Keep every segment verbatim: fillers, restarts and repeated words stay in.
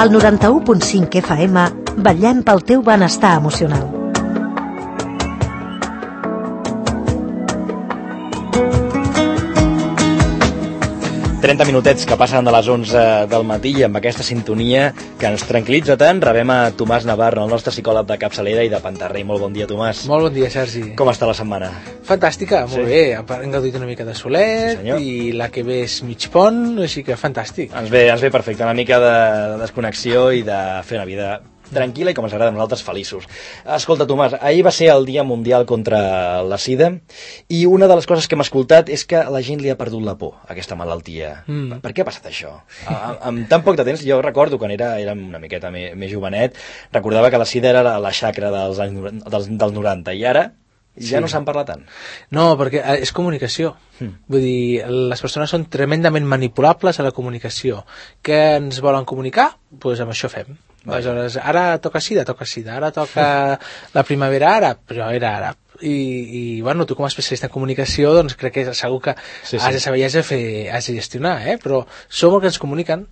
Al noranta-u punt cinc F M vetllem pel teu benestar emocional. trenta minutets que passen de les onze del matí i amb aquesta sintonia que ens tranquil·litza tant, rebem a Tomàs Navarro, el nostre psicòleg de capçalera i de Pantarrey. Molt bon dia, Tomàs. Molt bon dia, Sergi. Com està la setmana? Fantàstica, molt Sí. bé. Hem gaudit una mica de solet, Sí, senyor. i la que ve és mig pont, així que fantàstic. Ens ve, ens ve perfecte, una mica de, de desconnexió i de fer una vida tranquil·la i, com ens agrada a nosaltres, feliços. Escolta, Tomàs, ahir va ser el Dia Mundial contra la Sida i una de les coses que hem escoltat és que la gent li ha perdut la por a aquesta malaltia. Mm. Per què ha passat això? A, amb tan poc de temps, jo recordo quan era, era una miqueta més, més jovenet, recordava que la Sida era la, la xacra dels anys noranta, dels, dels noranta, i ara ja Sí. no se'n parla tant. No, perquè eh, és comunicació. Mm. Vull dir, les persones són tremendament manipulables a la comunicació. Què ens volen comunicar? Doncs pues amb això fem. Aleshores, ara toca sida, toca sida, ara toca la primavera àrab, primavera àrab. I, i bueno, tu com a especialista en comunicació, doncs crec que segur que Sí, sí. has de saber i has de, fer, has de gestionar, eh? Però som el que ens comuniquen.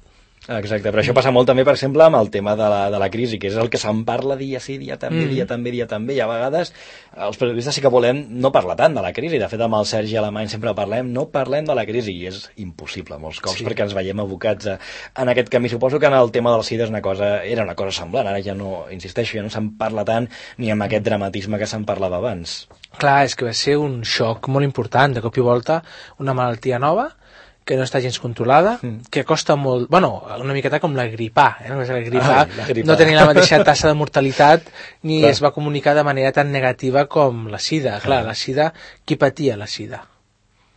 Exacte, però això passa molt també, per exemple, amb el tema de la, de la crisi, que és el que se'n parla dia sí, dia també, Mm. dia també, dia també, i a vegades els periodistes sí que volem no parlar tant de la crisi. De fet, amb el Sergi Alemany sempre parlem, no parlem de la crisi, i és impossible molts cops, Sí. perquè ens veiem abocats a, en aquest camí. Suposo que en el tema de la sida és una cosa, era una cosa semblant, ara ja no, insisteixo, ja no se'n parla tant ni amb aquest dramatisme que se'n parlava abans. Clar, és que va ser un xoc molt important, de cop i volta, una malaltia nova, que no està gens controlada, Mm. que costa molt... Bueno, una miqueta com la gripà, eh? La gripà, Ai, la gripà. no tenia la mateixa tassa de mortalitat ni Clar. es va comunicar de manera tan negativa com la sida. Clar, Clar. la sida, qui patia la sida?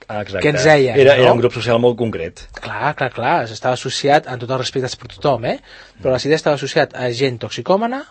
Ah, exacte. Què ens deien, Era, no? era un grup social molt concret. Clar, clar, clar, estava associat, amb tots els respectes per tothom, eh? Però la sida estava associat a gent toxicòmana,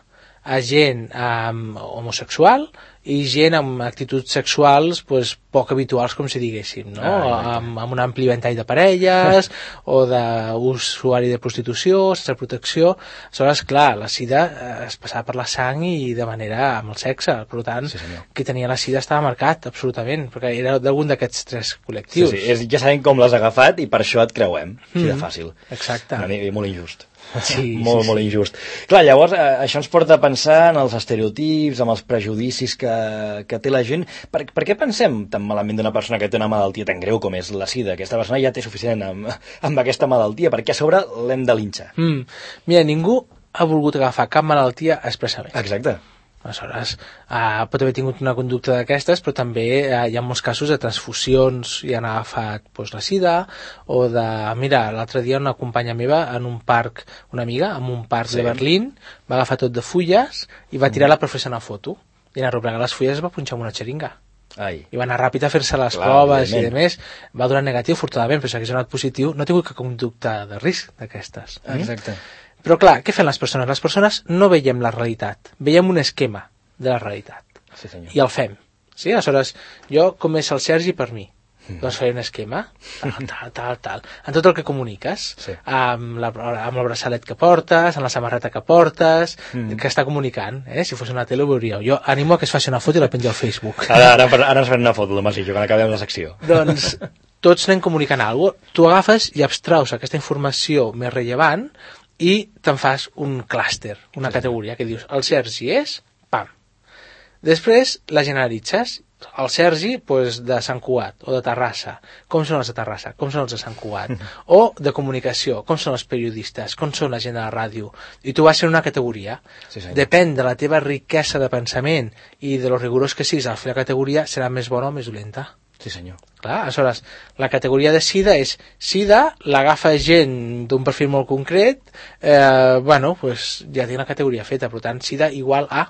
a gent um, homosexual i gent amb actituds sexuals pues, poc habituals, com si diguéssim, no? Ah, amb, amb un ampli ventall de parelles o d'usuari de prostitució, sense protecció. Aleshores, clar, la sida eh, es passava per la sang i de manera amb el sexe, per tant, Sí, senyor. qui tenia la sida estava marcat, absolutament, perquè era d'algun d'aquests tres Sí, col·lectius. sí, és, ja sabem com l'has agafat i per això et creuem, així de Mm. fàcil. Exacte. Una mica molt injust. Sí, molt, sí, molt sí. injust. Clar, llavors, eh, això ens porta a pensar en els estereotips, en els prejudicis que, que té la gent. Per, per què pensem tan malament d'una persona que té una malaltia tan greu com és la sida? Aquesta persona ja té suficient amb, amb aquesta malaltia, perquè a sobre l'hem de linxar. Mm. Mira, ningú ha volgut agafar cap malaltia expressament. Exacte. Aleshores, uh, pot haver tingut una conducta d'aquestes, però també uh, hi ha molts casos de transfusions i han agafat pues, la sida, o de... Mira, l'altre dia una companya meva en un parc, una amiga, en un parc Sí. de Berlín, va agafar tot de fulles i va tirar-la per fer-se una foto. I en arreplegar les fulles es va punxar amb una xeringa. Ai. I va anar ràpid a fer-se les Clar, proves i evidentment. de més. Va donar negatiu, afortunadament, però si hagués donat positiu, no ha tingut cap conducta de risc d'aquestes. Mm? Exacte. Però clar, què fan les persones? Les persones no veiem la realitat, veiem un esquema de la realitat Sí, senyor. i el fem. Sí? Aleshores, jo com és el Sergi per mi? Doncs faré un esquema, tal, tal, tal, tal, en tot el que comuniques, Sí. amb, la, amb el braçalet que portes, amb la samarreta que portes, Mm. que està comunicant, eh? Si fos una tele ho veuríeu. Jo animo a que es faci una foto i la pengi al Facebook. Ara, ara, ara ens farem una foto, Tomàs i jo, quan acabem la secció. Doncs tots anem comunicant alguna cosa. Tu agafes i abstraus aquesta informació més rellevant i te'n fas un clúster, una categoria, que dius, el Sergi és, pam. Després la generalitzes. El Sergi, pues, de Sant Cugat o de Terrassa. Com són els de Terrassa? Com són els de Sant Cugat? O de comunicació. Com són els periodistes? Com són la gent de la ràdio? I tu vas ser una categoria. Sí, senyor. Depèn de la teva riquesa de pensament i de lo rigorós que siguis al fer la categoria, serà més bona o més dolenta. Sí, senyor. Clar, aleshores, la categoria de sida és sida, l'agafa gent d'un perfil molt concret, eh, bueno, pues ja té una categoria feta, per tant, sida igual a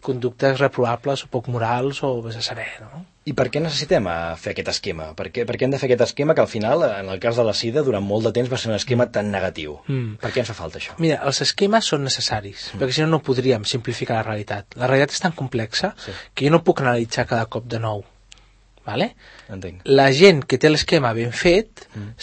conductes reprovables o poc morals o vés a saber, no? I per què necessitem eh, fer aquest esquema? Per què, per què hem de fer aquest esquema que al final, en el cas de la sida, durant molt de temps va ser un esquema tan negatiu? Mm. Per què ens fa falta això? Mira, els esquemes són necessaris, mm. perquè si no no podríem simplificar la realitat. La realitat és tan complexa Sí. que jo no puc analitzar cada cop de nou. Vale? Entenc. La gent que té l'esquema ben fet Mm.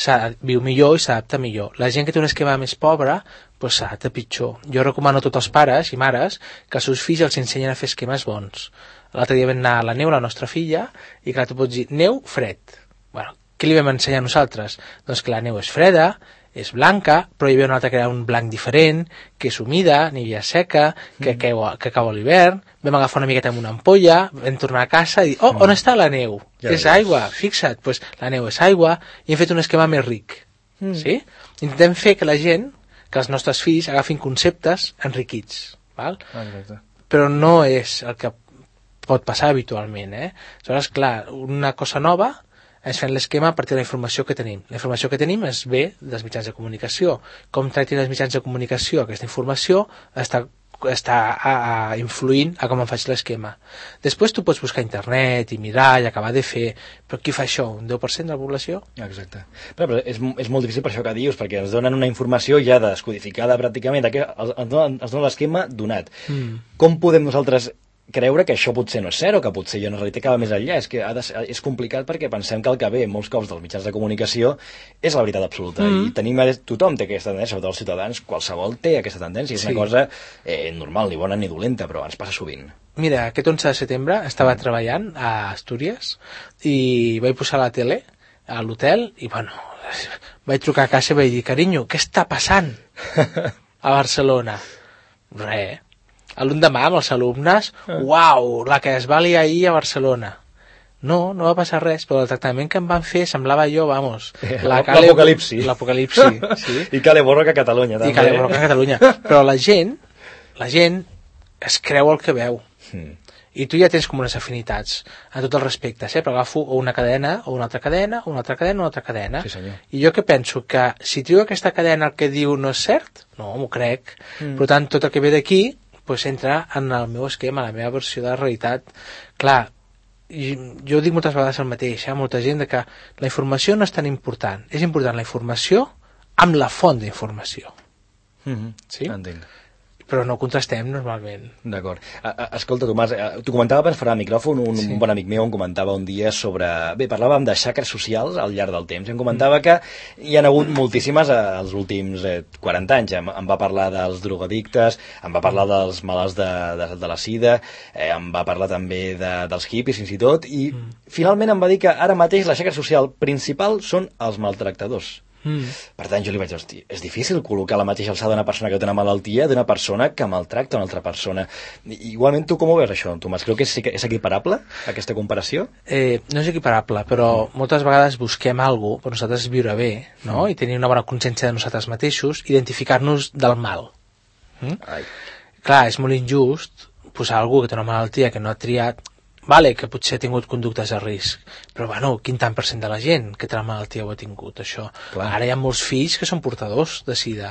viu millor i s'adapta millor. La gent que té un esquema més pobre pues, s'adapta pitjor. Jo recomano a tots els pares i mares que els seus fills els ensenyen a fer esquemes bons. L'altre dia vam anar a la Neu, la nostra filla, i clar, tu pots dir, neu, fred. Bueno, què li vam ensenyar a nosaltres? Doncs que la neu és freda, és blanca, però hi havia una altra que era un blanc diferent, que és humida, n'hi havia seca, que, mm. que, que cau a l'hivern, vam agafar una miqueta amb una ampolla, vam tornar a casa i dir, oh, mm. on està la neu? Ja és aigua, fixa't, pues, la neu és aigua, i hem fet un esquema més ric. Mm. Sí? Intentem fer que la gent, que els nostres fills agafin conceptes enriquits, val? Exacte. Però no és el que pot passar habitualment, eh? Aleshores, clar, una cosa nova és fent l'esquema a partir de la informació que tenim. La informació que tenim és ve dels mitjans de comunicació. Com tractin els mitjans de comunicació aquesta informació està, està a, a, influint a com em faig l'esquema. Després tu pots buscar a internet i mirar i acabar de fer, però qui fa això? Un deu per cent de la població? Exacte. Però, però és, és molt difícil per això que dius, perquè ens donen una informació ja descodificada pràcticament, que ens donen, ens donen l'esquema donat. Mm. Com podem nosaltres creure que això potser no és cert o que potser hi ha una realitat que va més enllà? És que ha de ser, és complicat perquè pensem que el que ve molts cops dels mitjans de comunicació és la veritat absoluta, mm. i tenim, tothom té aquesta tendència, sobretot els ciutadans, qualsevol té aquesta tendència, és sí. una cosa eh, normal, ni bona ni dolenta, però ens passa sovint. Mira, aquest onze de setembre estava mm. treballant a Astúries i vaig posar la tele a l'hotel i, bueno, vaig trucar a casa i vaig dir, carinyo, què està passant a Barcelona? Res. L'endemà amb els alumnes, ah. uau, la que es va liar ahir a Barcelona. No, no va passar res, però el tractament que em van fer semblava jo, vamos... L'apocalipsi. L'apocalipsi, sí. I cale borroca a Catalunya, també. I cale borroca a Catalunya. Però la gent, la gent es creu el que veu. Mm. I tu ja tens com unes afinitats a tots els respectes, eh? Però agafo una cadena, o una altra cadena, o una altra cadena, o una altra cadena. Sí, senyor. I jo que penso que si trio aquesta cadena el que diu no és cert, no, m'ho crec. Mm. Per tant, tot el que ve d'aquí pues entra en el meu esquema, la meva versió de la realitat. Clar, jo dic moltes vegades el mateix, eh? Molta gent de que la informació no és tan important, és important la informació amb la font d'informació. Mm-hmm. Sí? Entenc. Però no contrastem normalment. D'acord. Escolta, Tomàs, t'ho comentava per fora de micròfon, un, sí. un bon amic meu em comentava un dia sobre... Bé, parlàvem de xacres socials al llarg del temps, i em comentava mm. que hi ha hagut moltíssimes als últims eh, quaranta anys. Em, em va parlar dels drogadictes, em va parlar dels malalts de, de, de la sida, eh, em va parlar també de, dels hippies, fins i tot, i mm. finalment em va dir que ara mateix la xacra social principal són els maltractadors. Mm. Per tant, jo li vaig dir, hosti, és difícil col·locar la mateixa alçada d'una persona que té una malaltia d'una persona que maltracta una altra persona. Igualment, tu com ho veus, això, Tomàs? Creu que és, és equiparable, aquesta comparació? Eh, no és equiparable, però mm. moltes vegades busquem alguna cosa per nosaltres viure bé, no? Mm. I tenir una bona consciència de nosaltres mateixos, identificar-nos del mal. Mm? Ai. Clar, és molt injust posar algú que té una malaltia que no ha triat. Vale, que potser ha tingut conductes de risc, però bueno, quin tant per cent de la gent que té la malaltia ho ha tingut, això. Clar. Ara hi ha molts fills que són portadors de sida.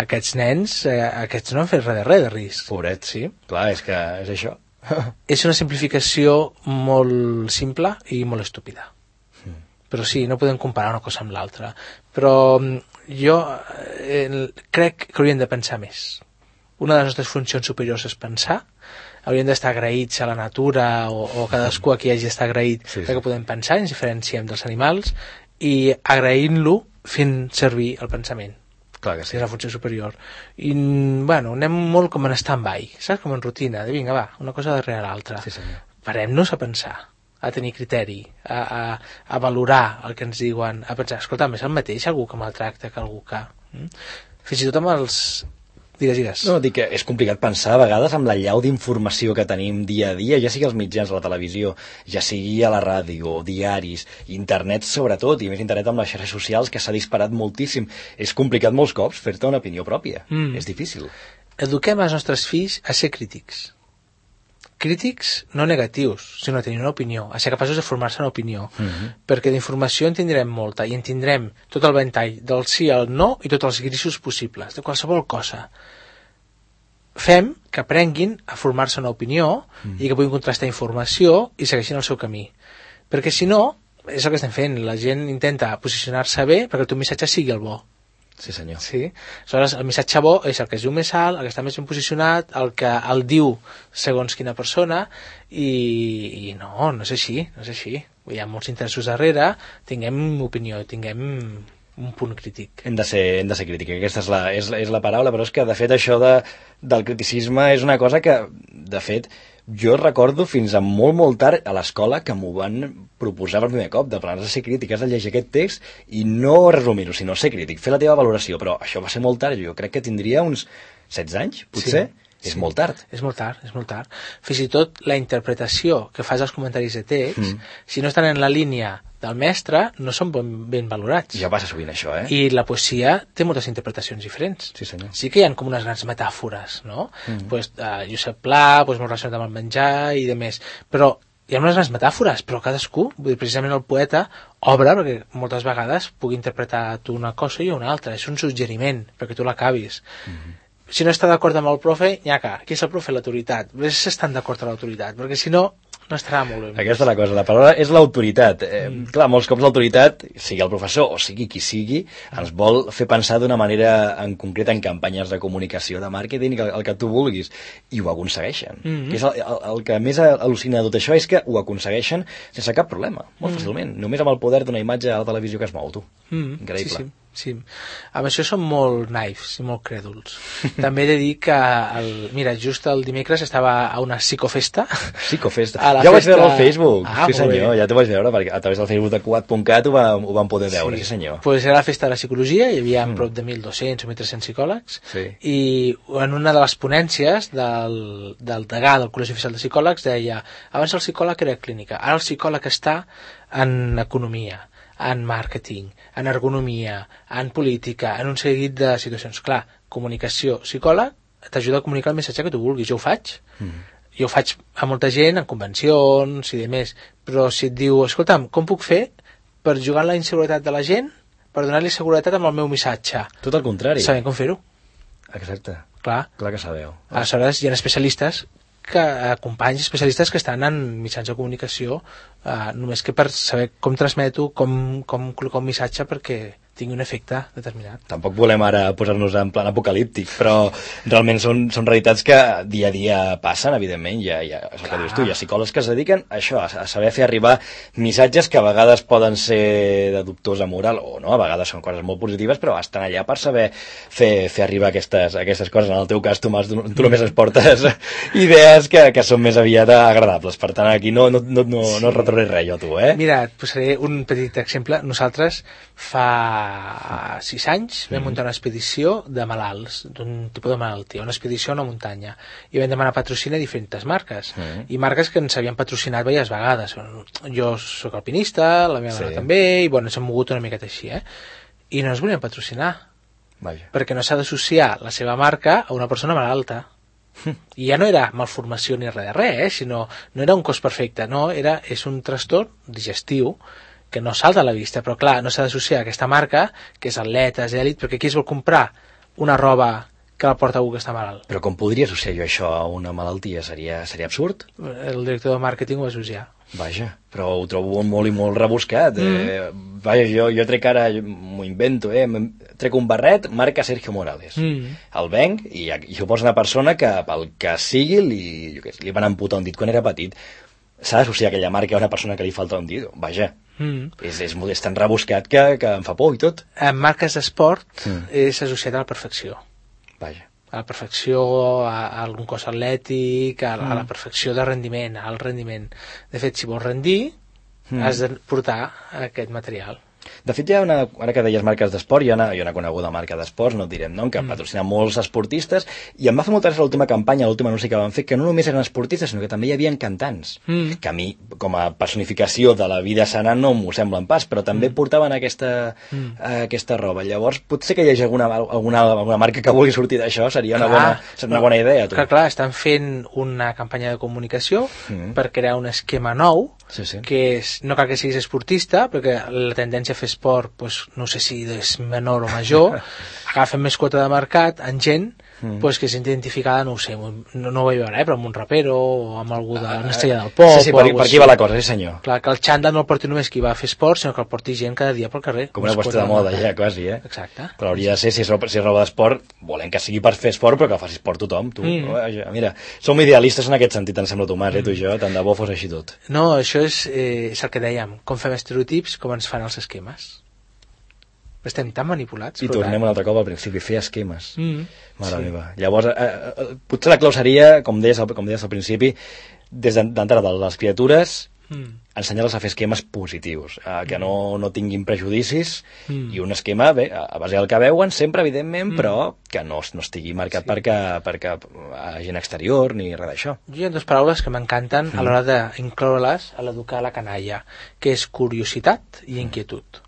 Aquests nens, eh, aquests no han fet res de res de risc. Pobret, sí. Clar, és que és això. És una simplificació molt simple i molt estúpida. Mm. Però sí, no podem comparar una cosa amb l'altra. Però jo eh, crec que hauríem de pensar més. Una de les nostres funcions superiors és pensar. Hauríem d'estar agraïts a la natura o, o cadascú a qui hagi d'estar agraït sí, sí. perquè podem pensar, ens diferenciem dels animals i agraint-lo fent servir el pensament. Clar que sí. És la funció superior. I, bueno, anem molt com en stand-by, saps? Com en rutina, de vinga, va, una cosa darrere l'altra. Sí, senyor. Parem-nos a pensar, a tenir criteri, a, a, a valorar el que ens diuen, a pensar, escolta, és el mateix algú que maltracta que algú que... Mm? Fins i tot amb els... Digues, digues. No, dic que és complicat pensar a vegades amb la llau d'informació que tenim dia a dia, ja sigui als mitjans, a la televisió, ja sigui a la ràdio, diaris, internet sobretot, i més internet amb les xarxes socials, que s'ha disparat moltíssim. És complicat molts cops fer-te una opinió pròpia. Mm. És difícil. Eduquem els nostres fills a ser crítics. Crítics no negatius, sinó a tenir una opinió, a ser capaços de formar-se una opinió. Mm-hmm. Perquè d'informació en tindrem molta, i en tindrem tot el ventall del sí al no i tots els grisos possibles, de qualsevol cosa. Fem que aprenguin a formar-se una opinió mm. i que puguin contrastar informació i segueixin el seu camí. Perquè si no, és el que estem fent, la gent intenta posicionar-se bé perquè el teu missatge sigui el bo. Sí, senyor. Sí? Aleshores, el missatge bo és el que es diu més alt, el que està més ben posicionat, el que el diu segons quina persona, i, i no, no és així, no és així. Hi ha molts interessos darrere, tinguem opinió, tinguem un punt crític. Hem de ser, hem de ser crític, aquesta és la, és, és la paraula, però és que, de fet, això de, del criticisme és una cosa que, de fet, Jo recordo fins a molt, molt tard a l'escola que m'ho van proposar per primer cop, de plan, has de ser crític, has de llegir aquest text i no resumir-ho, sinó ser crític, fer la teva valoració, però això va ser molt tard, jo crec que tindria uns setze anys, potser. Sí. És sí, molt tard. És molt tard, és molt tard. Fins i tot la interpretació que fas als comentaris de text, mm. si no estan en la línia del mestre, no són ben, ben valorats. Ja passa sovint això, eh? I la poesia té moltes interpretacions diferents. Sí, senyor. Sí que hi ha com unes grans metàfores, no? Mm. Pues, uh, Josep Pla, pues, molt relacionat amb el menjar i de més. Però hi ha unes grans metàfores, però cadascú, vull dir, precisament el poeta, obre perquè moltes vegades pugui interpretar tu una cosa i una altra. És un suggeriment perquè tu l'acabis. Mm. Si no està d'acord amb el profe, nyaca, qui és el profe? L'autoritat. Ves si estan d'acord amb l'autoritat, perquè si no, no estarà molt bé. Aquesta és la cosa, la paraula és l'autoritat. Eh, mm. Clar, molts cops l'autoritat, sigui el professor o sigui qui sigui, ens vol fer pensar d'una manera en concret en campanyes de comunicació, de màrqueting, el, el que tu vulguis, i ho aconsegueixen. Mm -hmm. Que és el, el, el que més al·lucina de tot això és que ho aconsegueixen sense cap problema, molt mm. fàcilment, només amb el poder d'una imatge a la televisió que es mou, tu. Mm. Increïble. Sí, sí. Sí, amb això són molt naifs i molt crèduls. També he de dir que, el, mira, just el dimecres estava a una psicofesta. Psicofesta? Ja ho vaig veure al Facebook. Ah, sí senyor, bé. Ja t'ho vaig veure, perquè a través del Facebook de cuat punt cat ho, va, ho vam poder veure, sí, sí senyor. Pues era la festa de la psicologia, hi havia mm. prop de mil dos-cents o mil tres-cents psicòlegs, sí. I en una de les ponències del, del degà del Col·legi Oficial de Psicòlegs deia, abans el psicòleg era clínica, ara el psicòleg està en economia, en màrqueting, en ergonomia, en política, en un seguit de situacions. Clar, comunicació, psicòleg, t'ajuda a comunicar el missatge que tu vulguis. Jo ho faig. Mm. Jo ho faig a molta gent, en convencions i de més. Però si et diu, escolta'm, com puc fer per jugar en la inseguretat de la gent, per donar-li seguretat amb el meu missatge? Tot el contrari. Sabem com fer-ho. Exacte. Clar. Clar que sabeu. Aleshores, hi ha especialistes que companys especialistes que estan en mitjans de comunicació eh, només que per saber com transmeto, com, com col·locar un missatge perquè tingui un efecte determinat. Tampoc volem ara posar-nos en plan apocalíptic, però realment són, són realitats que dia a dia passen, evidentment. Hi ha, hi ha, és el que dius tu, hi ha psicòlegs que es dediquen a això, a saber fer arribar missatges que a vegades poden ser de dubtosa moral, o no, a vegades són coses molt positives, però estan allà per saber fer, fer arribar aquestes, aquestes coses. En el teu cas, Tomàs, tu, tu només ens portes idees que, que són més aviat agradables. Per tant, aquí no, no, no, no, no et retornaré res jo, tu, eh? Mira, et posaré un petit exemple. Nosaltres fa sis anys vam muntar una expedició de malalts, d'un tipus de malaltia, una expedició a una muntanya, i vam demanar patrocini a diferents marques, mm. i marques que ens havien patrocinat diverses vegades. Jo sóc alpinista, la meva sí. dona també, i bueno, ens hem mogut una miqueta així, eh? I no ens volien patrocinar. Vaja. Perquè no s'ha d'associar la seva marca a una persona malalta. I ja no era malformació ni res de res, eh? Sinó, no era un cos perfecte, no, era, és un trastorn digestiu que no salta a la vista, però clar, no s'ha d'associar a aquesta marca, que és atletes, èlit, perquè qui es vol comprar una roba que la porta algú que està malalt? Però com podria associar jo això a una malaltia? Seria, seria absurd? El director de màrqueting ho va associar. Vaja, però ho trobo molt i molt rebuscat. Mm. Eh, vaja, jo, jo trec ara, m'ho invento, eh, trec un barret, marca Sergio Morales. Mm. El venc i, i ho posa una persona que pel que sigui li, jo què sé, li van amputar un dit quan era petit. S'ha d'associar aquella marca a una persona que li falta un dit. Vaja, mm. és, és, és tan rebuscat que, que em fa por i tot. En marques d'esport mm. és associat a la perfecció. Vaja. A la perfecció, a, a algun cos atlètic, a, mm. a la perfecció de rendiment, al rendiment. De fet, si vols rendir, mm. has de portar aquest material. De fet, hi ha una, ara que deies marques d'esport, hi ha una, hi ha una coneguda marca d'esports, no et direm nom, que mm. patrocina molts esportistes, i em va fer molta gràcia l'última campanya, l'últim anunci que van fer, que no només eren esportistes, sinó que també hi havia cantants, mm. que a mi, com a personificació de la vida sana, no m'ho semblen pas, però també mm. portaven aquesta, mm. uh, aquesta roba. Llavors, potser que hi hagi alguna, alguna, alguna marca que vulgui sortir d'això, seria una, clar, bona, seria una bona idea. Tu. Clar, clar, estan fent una campanya de comunicació mm. per crear un esquema nou, sí, sí. que és, no cal que siguis esportista, perquè la tendència a fer esport, pues, no sé si és menor o major, agafen més quota de mercat en gent mm. pues, que és identificada, no ho sé, no, no ho vaig veure, eh, però amb un rapero o amb algú d'una estrella del pop. Sí, sí, per, per aquí va la cosa, sí senyor. Clar, que el xandall no el porti només qui va a fer esport, sinó que el porti gent cada dia pel carrer. Com una qüestió de moda, ja, quasi, eh? Exacte. Però hauria de ser, si és roba, si és roba d'esport, volem que sigui per fer esport, però que faci esport tothom, tu. Mm. Mira, som idealistes en aquest sentit, em sembla, Tomàs, eh, tu i jo, tant de bo fos així tot. No, això és, eh, és el que dèiem, com fem estereotips, com ens fan els esquemes. Estem tan manipulats. I tornem un altre cop al principi, fer esquemes. Mm. Mare sí. meva. Llavors, eh, eh, potser la clau seria, com deies, com deies al principi, des d'entrada de les criatures, Mm. ensenyar-les a fer esquemes positius, eh, que no, no tinguin prejudicis, Mm. i un esquema, bé, a base del que veuen sempre, evidentment, mm. però que no, no estigui marcat Sí. per, cap, per cap agent exterior ni res d'això. Jo hi ha dues paraules que m'encanten mm. a l'hora d'incloure-les a l'educar la canalla, que és curiositat i inquietud.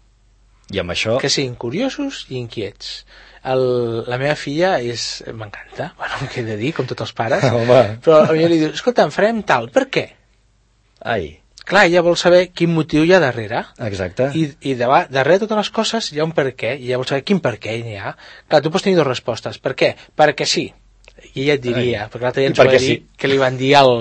I amb això... Que siguin curiosos i inquiets. El, la meva filla és... m'encanta, bueno, què he de dir, com tots els pares, Home. però a mi li diu, escolta, em farem tal, per què? Ai, Clar, ella vol saber quin motiu hi ha darrere. exacte. I, i de, darrere de totes les coses hi ha un per què, i ella vol saber quin per què hi ha. Clar, tu pots tenir dues respostes. Per què? Perquè sí. I ella et diria, Ai. perquè l'altre dia I ens va perquè dir sí. que li van dir al,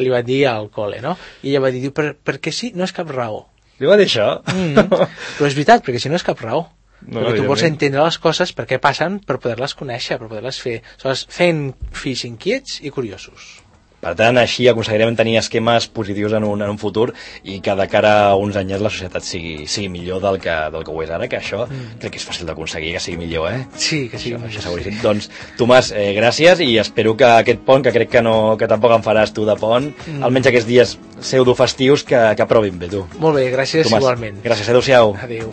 li van dir al col·le, no? I ella va dir, per, perquè sí, no és cap raó. Li va dir això? Mm. Però és veritat, perquè si no és cap raó. No, perquè tu vols evidentment. entendre les coses per què passen, per poder-les conèixer, per poder-les fer. Aleshores, fent fills inquiets i curiosos. Per tant, així aconseguirem tenir esquemes positius en un, en un futur i que de cara a uns anys la societat sigui, sigui millor del que, del que ho és ara, que això mm. crec que és fàcil d'aconseguir que sigui millor, eh? Sí, que sí. Això, això seguríssim. Doncs, Tomàs, eh, gràcies, i espero que aquest pont, que crec que, no, que tampoc en faràs tu de pont, mm. almenys aquests dies pseudo-festius, que, que aprovin bé, tu. Molt bé, gràcies Tomàs, igualment. Gràcies, adéu-siau. Adéu.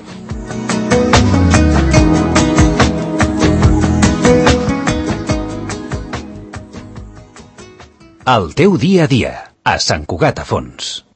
El teu dia a dia, a Sant Cugat a Fons.